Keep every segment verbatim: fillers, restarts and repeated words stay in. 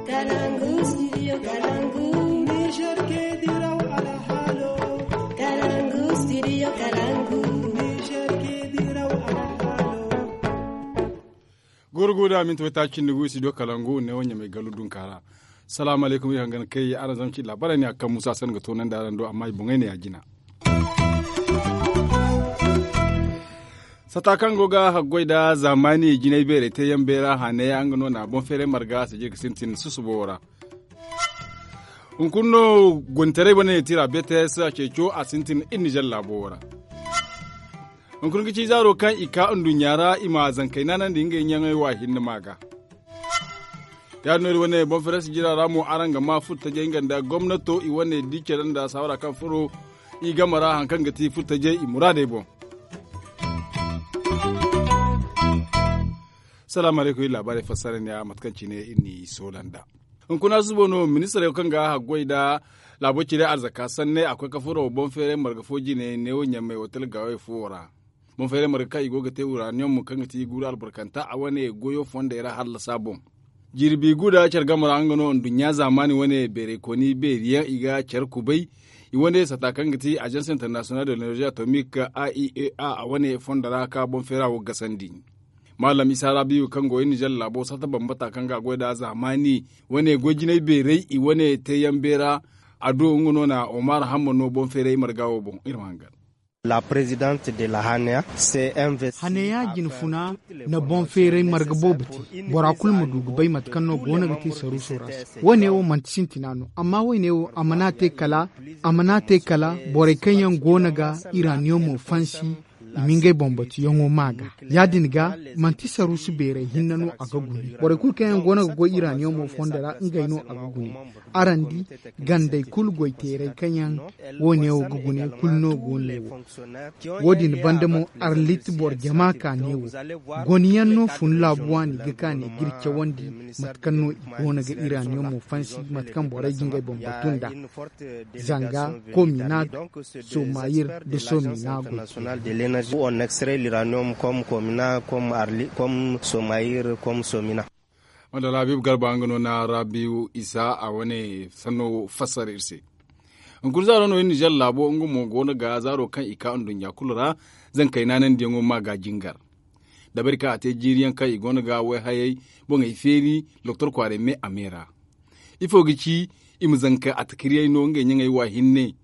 Kalangu, studio Kalangu. Niger ke diraw alhalo. Kalangu, studio Kalangu. Niger ke diraw alhalo. Gurguda minti wata cindi gu studio Kalangu ne wanya mai galu dunkara. Salamu alaikum, iri hangan kai araŋ zama ci labarai ne a kan musa san ga tonan da araŋ do amma i boŋay ne ya jina. Sata kaŋ go ga haggoy da zamani jinay beeray te yaŋ beera hane yaŋ nga no na boŋ feeray marga sijir ga sintin susubo ra. Hunkuna no gonitaray wane tira bts a ceeco a sintin iri nijar laabo ra. Hunkuna ga ci zaaro kaŋ i ka nduɲɲa ra i ma zankey naanandi ngey ɲaŋey wa hinne ma ga. Ya din no iri wane boŋ feeray sijira ra mo araŋ ga ma furtajey nga nda gomnato i wane di care nda saawara kaŋ furo i game ra hari kaŋ ga ti furtajey i muraadey boŋ. Salaamu alaykum iri laabaarey fassara ne a mate kaŋ cine iri n'i soola nd'a. Hunkuna susubo no ministirey kaŋ ga haggoy nda laabo cire arzaka sanney a koy ka furo boŋ feeray marga fo jine neewo ɲammey otel gaawey fuwo ra. Boŋ feeray marga kaŋ i go ga te uranium kaŋ ga ti guuru albarkanta a wane goyo fondey ra hallasa boŋ. Jirbi guda care game ra nga no nduɲɲa zaamaani wane beeray koni beeri yaŋ i ga care kubay. I wane sata kaŋ ga ti agence international de l'énergie atomique a i e a a wane fondo ra ka boŋ feera wo gasandi. Maalam isa rabiyu kaŋ go iri nijar laabo sata bambata kaŋ ga goy da zaamaani wane goy jinay beeray i wane teeyaŋ beera. A do nga no na omar hamma no boŋ feeray marga wo boŋ iri ma hangan. La présidente de la haneya. Haneya jinfuna na boŋ feeray marga boobo te. Bora kulu ma du ga bay mate kaŋ no go no ga te saruuso ra se. Wo- ne wo manti sintina no amma wo- ne wo a mana te kala a mana te kala borey kaŋ yaŋ go no ga iraniyomo fansi i ma ngey boŋ batuyaŋo ma ga. Ya- din ga manti saruusu beeray hinne no a ga gune. Borey kulu kaŋ yaŋ go no ga goy iraniyomo fondo ra ngey no a ga gune. Araŋ di gandey kulu goy teeray kaŋ yaŋ wo- ne wo ga gune kulu no go ne wo. Wo- din banda mo arlit boro jama ka ne wo goni yaŋ no fun laabu waani ga ka ne ga iri cawandi mate kaŋ no i go no ga iraniyomo fansi mate kaŋ borey ga ngey boŋ batu nd'a. Zanga kominat somayir nda somina goy. National de l'énergie on extrait l'uranium comme komina comme arli comme somayir comme somina. Wanda rabiu garba nga no na rabiu isa a wane sanno fassara iri se. Hunkuna zaaro no iri nijar laabo nga mo go no ga zaaro kaŋ i ka nduɲɲa kulu ra zankey naanandiyaŋo ma ga jingar. Dabari kaŋ a te jiiri yaŋ kaŋ i go no ga wayhayey boŋey feeri doktor kwaaray me a me ra. Ifo ga ci i ma zanka atakiriyey no ngey ɲaŋey wa hinne.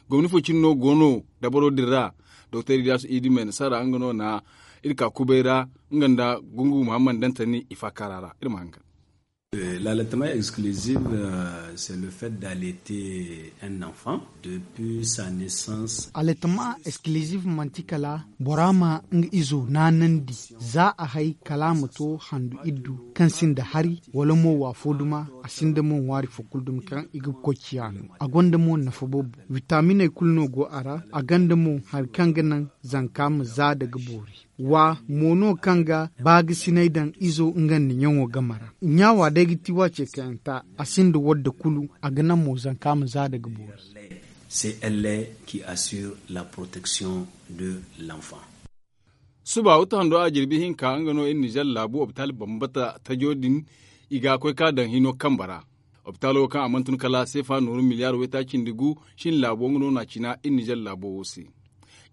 Gomni fo cine no go no dabaro din ra. Doktor ilyasu idi me nasara nga no na iri ka kubay ra nga nda gungu muhammad dantani i faakara ra iri ma hangan. L'allaitement exclusif c'est le fait d'allaiter un enfant depuis sa naissance. Allaitement exclusif manti kala bora ma nga izo naanandi za a hay kala a ma to handu iddu kaŋ sinda hari wala mo waafo duma. A sinda mo ŋwaari fo kulu dumi kaŋ i ga koy ciya no a gonda mo nafa boobo. Witaminey kulu no go a ra a gonda mo hari kaŋ ga naŋ zanka ma za daga boori. Wa mo no kaŋ ga baagisinay daŋ izo nga nda ɲaŋo game ra. Ɲaawa day ga ti waace kayanta a sinda wadda kulu a ga naŋ mo zanka ma za daga boori. C'est elle qui assure la protection de l'enfant. Suba wata hando a jirbi hinka nga no iri nijar laabu opitaal bambata tajo din i ga koy ka daŋ hino kambe ra. Opitaalo kaŋ a mana tun kala seefa nooru miliyaar waytaaci nda gu shin laabo nga no na cina iri nijar laabo wo se.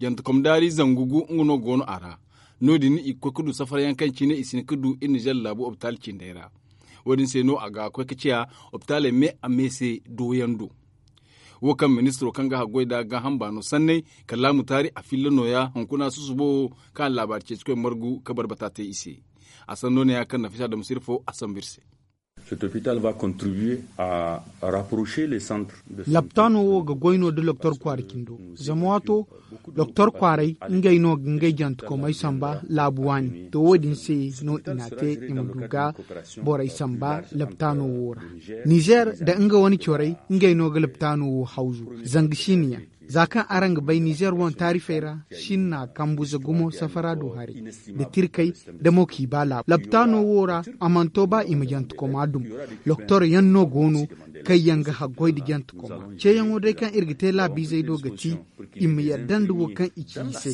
Jantakom daari zangu gu nga no go no a ra. No- din i ga koy ga du safarayaŋ kaŋ cine i si hin ga du iri nijar laabo opitaal cindey ra. Wo- din se no a ga koy ga ciya opitaaley me a me se dooyaŋ do. Wo kaŋ ministiro kaŋ ga haggoy nda gaaham baano sanney kala laamu taari a filla nooya hunkuna susubo wo kaŋ a na laabaari ceecikoy margu ka barbata te i se. A sanno ne ya kaŋ nafisa damsir fo a sambu iri se. Cet hôpital va contribuer à rapprocher les centres de santé. Laptaano wo ga goy no da loktor kwaara cindo zama waato loktor kwaaray ngey no ga ngey jantakomey samba laabu waani to wo- din se no i n'a te i ma du ga borey samba laptaano wo ra. Nizer nda nga wane corey ngey no ga laptaano wo hawzu zanga siini yaŋ. Za kaŋ araŋ ga bay nizeer wane taarifey ra, sinna kambuze gumo safara du haray, nda tirkey, nda mo k'i ba laabu laptaano wo ra. A mana to ba i ma jantekoma dum. Loktor yaŋ no go no, kaŋ yaŋ ga haggoy nda jantekoma. Ceeyaŋo day kaŋ iri ga te laabiizey do ga ti, i ma yadda nda wo kaŋ i ci i se.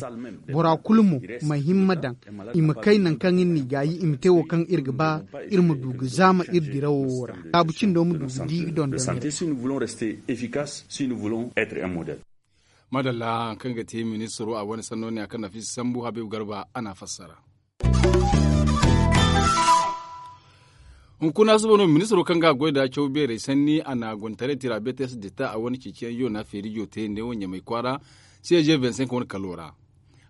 Bora kulu mo, ma himma daŋ, i ma kay nangu kaŋ iri n'i gaayi, i ma te wo kaŋ iri ga ba, iri ma du ga zaama iri dirawo wo ra. Laabu cindo ma du ga di ga dondon iri. Maadalla, kaŋ ga te ministiro a wane sanno ne a kaŋ na fiisa sambu habiibu garba a n'a fassara. Hunkuna suba no ministiro kaŋ ga a goy nda caw beerey sanni a na gonitaray tira beetes deta a wane ceeciyaŋ yoona feerijo te neewo ɲamay kwaara, c g vingt cinq wane kalo ra.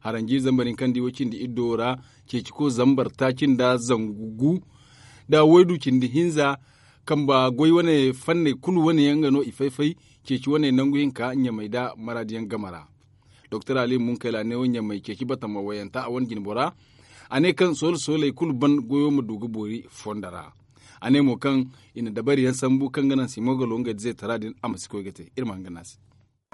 Haranji zambar hinka nda i way cindi iddo ra, ceeci ko zambar taaci nda zangu gu, nda waydu cindi hinza, kamba goy wane fanney kulu wane yaŋ nga no i fay-fay. Ceeci wane nangu hinka ɲamay nda maraadiyaŋ game ra. Doktor ali munkayla ne wo ɲamay ceeci batama wayanta a wane jinbora. A ne kaŋ soole-sooley kulu ban goyo ma du ga boori fondo ra. A ne mo kaŋ i na dabariyaŋ sambu kaŋ ga naŋ simo ga lo ngey da zeetara din a ma si koy ga te. Iri ma hanga no a se.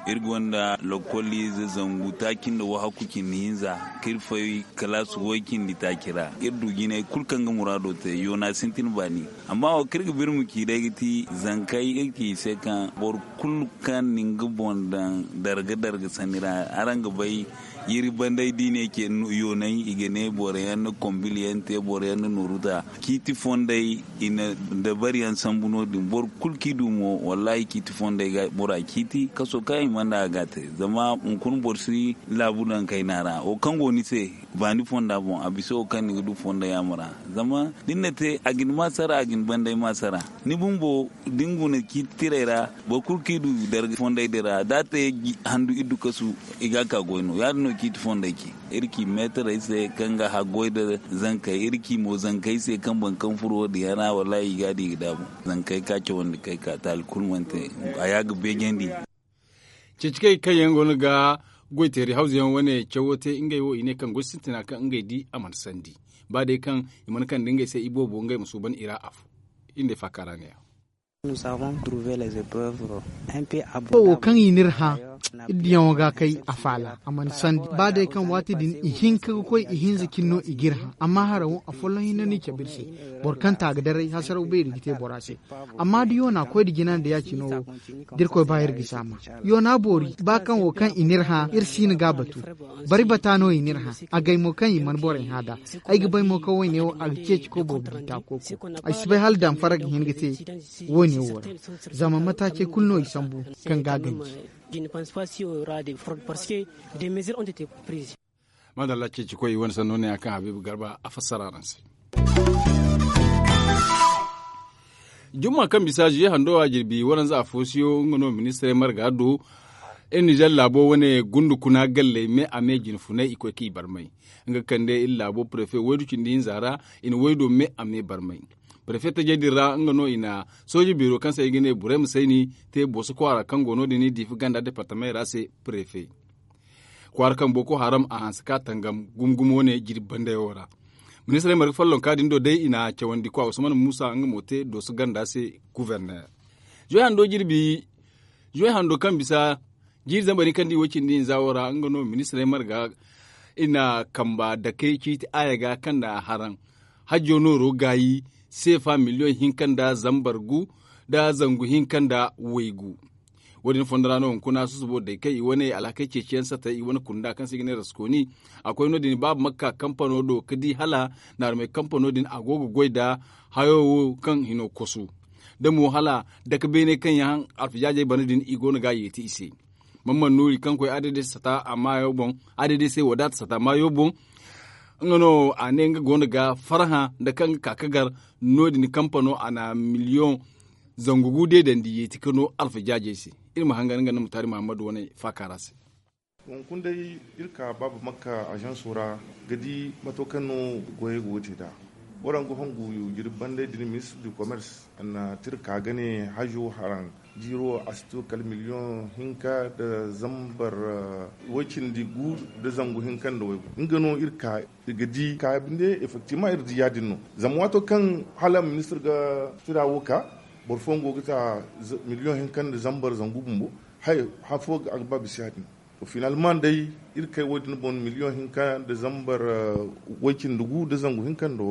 Iri gonda lokol ize zangu taaci nda wahakku cindi hinza, kaŋ iri fay kalaasi way cindi taaci ra. Iri du jinay kulu kaŋ ga muraado te yoona sintin baani. Amma wo kaŋ iri ga birma ci day ga ti zankey iri ci i se kaŋ boro kulu kaŋ na nga boŋ daŋ darga-darga sanni ra. Araŋ ga bay, yiri banday da i ne ce yoonay i ga ne boro yaŋ na kombil yaŋ te, boro yaŋ na nooru ta ciiti fondey. I na dabari yaŋ sambu no- din boro kulu kaŋ i du mo wallaahi ciiti fondey ga bora ciiti kaso kaŋ i mana a ga a te. Zama hunkuna boro si laabu daŋ kayna ra wo kaŋ go ni se, baani fonda boŋ a bisa wo kaŋ ni ga du fondo yaamo ra. Zama da ni na te a ga ni maasara a ga ni banday maasara. Ni bumbo da ni guna ciiti tirey ra, boro kulu kaŋ i du darga fondey din ra da a te handu iddu kasu, i ga a ka goy no ya- din no ciiti fondey ci. Iri ci meetarey se kaŋ ga haggoy nda zankey iri ci mo zankey se kaŋ boro kaŋ furo wo- din yaŋ ra wallaahi i ga a di i ga daabu. Zankey ka cawandi kay ka taali kulu mana te. A ya ga beejandi. Ceeci kay kaŋ yaŋ go no ga goyteeri hawzu yaŋ wane cawo te ngey wo i ne kaŋ goy sintina kaŋ ngey di a mana sandi. Ba day kaŋ i mana kande ngey se i boobo ngey ma suuban i ra afo. Iri nda ay faaka ra ne- ya. Wo kaŋ i n'iri hã, iri diyaŋo ga kay a faala a mana sandi ba day kaŋ waati din i hinka ga koy i hinza cine no i g'iri hã. Amma hara wo afolloŋ hinne no i cabe iri se. Boro kaŋ ta ga daray hasaraw beeri ga te bora se. Amma da yoona koy nda jina nda ya- cino wo, da irkoy ba iri ga si a ma. Yoona boori ba kaŋ wo kaŋ i n'iri hã iri si hin ga a batu. Bari bata no i n'iri hã. Agay mo kaŋ i mana borey hã nd'a. Ay ga bay mo kaŋ woyne wo a ga ceeci koy boobo di ta kooko. Ay si bay hala damfara ga hin ga te woyne wo ra. Zama mataacey kulu no i sambu kaŋ ga a ganji. Maadalla ceeci koy i wane sanno ne ya kaŋ habiibu garba a fassara araŋ se. Jumma kaŋ bisa zuye hando a jirbi waranza a foosiyo nga no ministirey marga do. Iri nizer laabo wane gundu kuna galley me a me jinfunay i koy kaŋ i barmay. Nga kande iri laabo prefe waydu cindi hinza ra. I na waydo me a me barmay. Prefe tajey din ra nga no i na sooje beero kaŋ se i ga ne burema sayni te booso kwaara kaŋ go no- din i diifa ganda departamey ra se prefe. Kwaara kaŋ boko haram a hanse ka tangam gumo-gumo wane jirbi bandayo ra. Ministirey marga follonka din do day i na cawandi kwa usman muusa nga mo te dooso ganda se. Guverner zuwey hando jirbi zuwey hando kaŋ bisa jiiri zambar hinka nda i way cindi hinza wo ra nga no ministirey marga i na kamba dakey ciiti aaya ga kaŋ na haraŋ hajjo nooro gaayi seefa miliyoŋ hinka nda zambar gu nda zangu hinka nda waygu. Wo- din fondo ra no hunkuna susubo day kaŋ i wane alhakey ceeciyaŋ satay i wane kunda kaŋ se i ga ne raskoni. A koy no- din baaba makka kampano do ga di hala naarumey kampano din a go ga goy nda hayo wo kaŋ hino kosu da mo hala dake beene kaŋ yaŋ alfijaajey bana din i go no ga a yeeti i se. Mamman nuuri kaŋ koy adede sata a maayo boŋ adede se wadaata sata maayo boŋ. Nga no a ne nga go no ga farhã nda kaŋ ga ka ga gar no- din kampano a na miliyoŋ zangu gu deedandi yeeti ka no alfajaajey se. Iri ma hangan nga nda mutaari muhammadu wane faaka ra se. Hunkuna day iri ka baaba makka ažanso ra ga di mato kaŋ no goyey go ga te nd'a. Boro nga hongu jirbi banday din ministir du komers a na tirka ga ne hajo haraŋ jiiro a si to kala miliyoŋ hinka nda zambar way cindi gu nda zangu hinka nda waygu nga no iri ka ga di ka binde effectivement iri di ya- din no. Zama waato kaŋ hala ministir ga tira wo ka boro fooyaŋ go ga ta miliyoŋ hinka nda zambar zangu bumbo. Hay, han fo a ga ba bisa ya- din. To finalman day, iri kay wo- din boŋ miliyoŋ hinka nda zambar way cindi gu nda zangu hinka nda.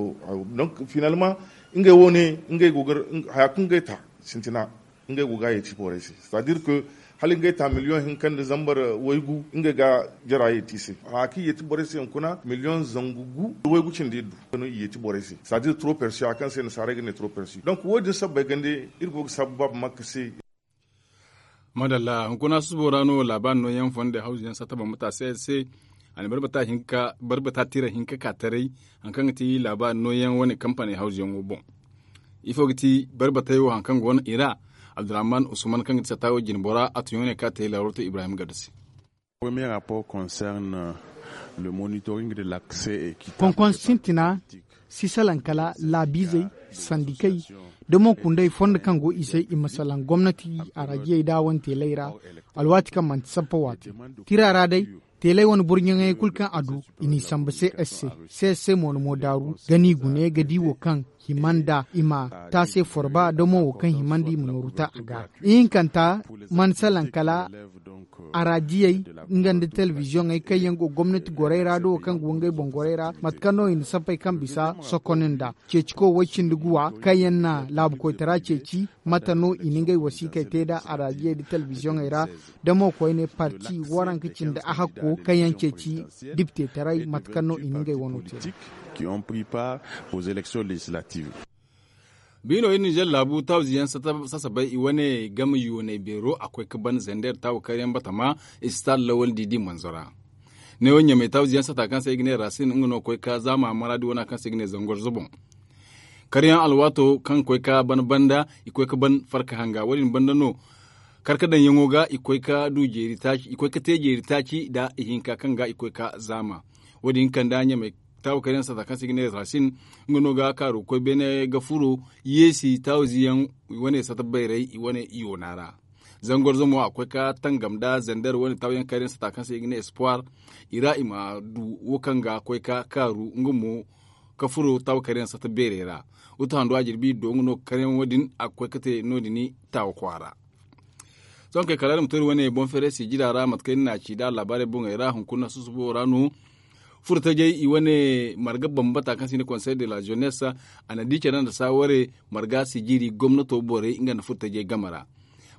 Donc finalman, ngey wo- ne ngey go ga haya kaŋ ngey ta sintina, ngey go ga a yeeti borey se. C'est à dire que hala ngey ta miliyoŋ hinka nda zambar way gu ngey ga jara yeeti i se. Haya kaŋ i yeeti borey se hunkuna miliyoŋ zangu gu nda way gu cindi iddu no i yeeti borey se. C'est à dire trop persi haya kaŋ se nasaarey ga ne trop persi. Donc wo- din sabbay gande, iri go ga sabba makka se. Madalla, hunkuna susubo ra no laabaari nooyaŋ fondo hawzu yaŋ satta bambata se se. A na barbata tiira hinka ka taray, hari kaŋ ga ti laabaari nooyaŋ wane kampaney hawzu yaŋo boŋ. Ifo ga ti barbatey wo hari kaŋ go no i ra? Abdurrahman usman kaŋ ga ti satta wo jine bora a tun yaŋ wane kaŋ a te laarooto ibrahim gado se. Konkon sintina si salaŋ kala laabiizey, sandikey, da mo kundey fondo kaŋ go i se i ma salaŋ gomnati araajiyey da wane teeley ra. Alwaati kaŋ manti sappa waati tira ra day, teeley wane burɲaŋey kulu kaŋ a du i n'i samba se s se s se mo na mo daaru ga n'i gune ga di wo kaŋ hima nda i ma taase forba da mo wo kaŋ hima nda i ma nooru ta a ga. Ihinkanta mana salaŋ kala araajiyey nga nda telebiziyoŋey kaŋ yaŋ go gomnati gorey ra da wo kaŋ go ngey boŋ gorey ra mate kaŋ no i na sappey kaŋ bisa sokon nda ceeciko way cindi guwa kaŋ yaŋ na laabu koytara ceeci. Mate no i na ngey wasiikey te nda araajiyey nda telebiziyoŋey ra da mo koyne parti waranka cindi a hakko kaŋ yaŋ ceeci diptetaray mate kaŋ no i na ngey wano te. Biino iri nizer laabu tawziyaŋ sasabay i wane game yooney beero a koy ga ban zander tawo karyaŋ batama. Istaad lawal didi manzo ra. Neewo ɲamey tawziyaŋ sata kaŋ se i ga ne rasin nga no koy ga zaama maraadi wana kaŋ se i ga ne zangorzo boŋ. Karyaŋ alwaato kaŋ koy ga ban banda i koy ga ban farka hanga wo- din banda no. Karkadaŋ yaŋo ga i koy ga du jeeri taaci i koy ga te jeeri taaci nda ihinka kaŋ ga i koy ga zaama. Wo- din kanda ɲamey taabu kayna sata kaŋ se i ga ne rasin. Nga no ga kaaru ga koy beene ga furo yeesi taawizi yaŋ i wane sata bayray i wane yoona ra. Zangorzo mo a koy ga tangam nda zander wane taawizi yaŋ kayna sata kaŋ se i ga ne espoir. I ra i ma du wo kaŋ ga koy ga kaaru nga mo ga furo taabu kayna sata beerey ra. Wuta hando a jirbi do nga no ga kayna wo- din a ga koy ga te no- din taawa kwaara. Sohõ kay kala iri ma to iri wane boŋ feeray sijira ra mate kaŋ iri n'a ci nd'a laabaarey boŋey ra hunkuna susubo ra no. Furtajey i wane marga bambata kaŋ se i ne konsey de la jeunesse a na di care nda saaware marga sijiri gomnato borey nga nda furtajey game ra.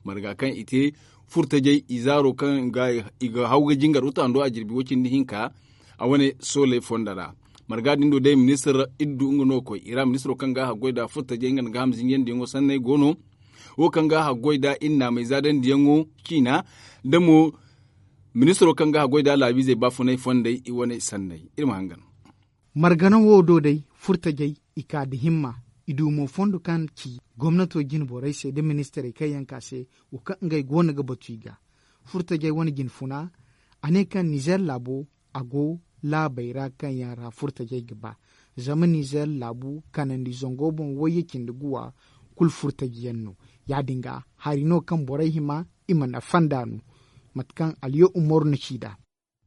Marga kaŋ i te furtajey i zaaro kaŋ i ga haw ga jingar wuta hando a jirbi wo- cindi hinka. A wane sooley fondo ra marga din do day ministir iddu nga no ga koy i ra ministiro kaŋ ga a haggoy nda furtajey nga nda gaaham zinjandiyaŋo sanney go no. Wo kaŋ ga a haggoy nda iri naamey zaadandiyaŋo ciina nda mo ministiro kaŋ ga a goy nda laabiizey baafunay fondey i wane sanney iri ma hangan. Margana wo do day furtajey i ka nda himma. I du mo fondo kaŋ ci gomnato jine borey se nda ministirey kaŋ yaŋ ka se wo kaŋ ngey go no ga batu i ga. Furtajey wane jine funa a ne kaŋ nizer laabo a go laabey ra kaŋ yaŋ ra furtajey ga ba. Zama nizer laabu kanandi zango boŋ wayye cindi guwa kulu furtaji yaŋ no. Ya- din ga hari no kaŋ borey hima i ma nafa nd'a no. Mate kaŋ aliyo umaru na ci nd'a.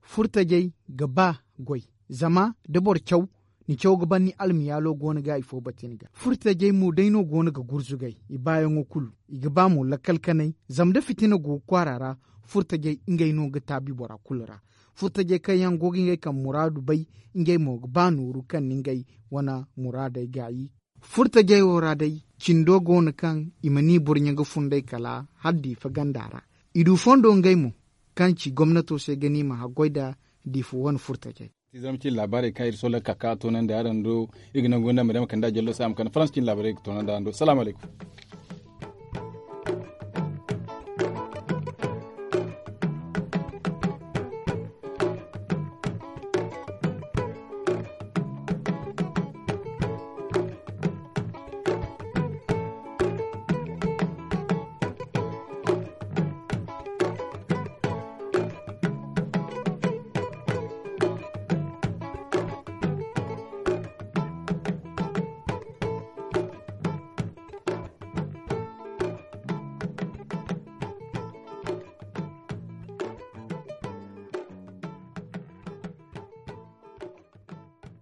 Furtajey ga ba goy zama da boro caw ni caw ga ban ni almiyaalo go no ga ifo bate ni ga furtajey mo day no go no ga gurzugay i baayaŋo kulu. I ga ba mo lakkal kanay zama da fitina go ga kwaara ra. Furtajey ngey no ga taabi bora kulu ra. Furtajey kaŋ yaŋ go ga ngey kaŋ muraadu bay ngey mo ga ba nooru kaŋ ni ngey wane muraadey gaayi. Furtajey wo ra day cindo go no kaŋ i ma ni burɲe ga funday kala hala diifa ganda ra. I du fondo ngey mo kaŋ ci gomnato se ga ni ma haggoy nda diifa wane furtajey. Ti zarma cine laabaarey kaŋ iri sohõ ga ka ka toonandi araŋ do. Iri ga nangu nda ma day ma kande a jallo se a ma kande faransa cine laabaarey ga toonandi araŋ do salaamu alaykum.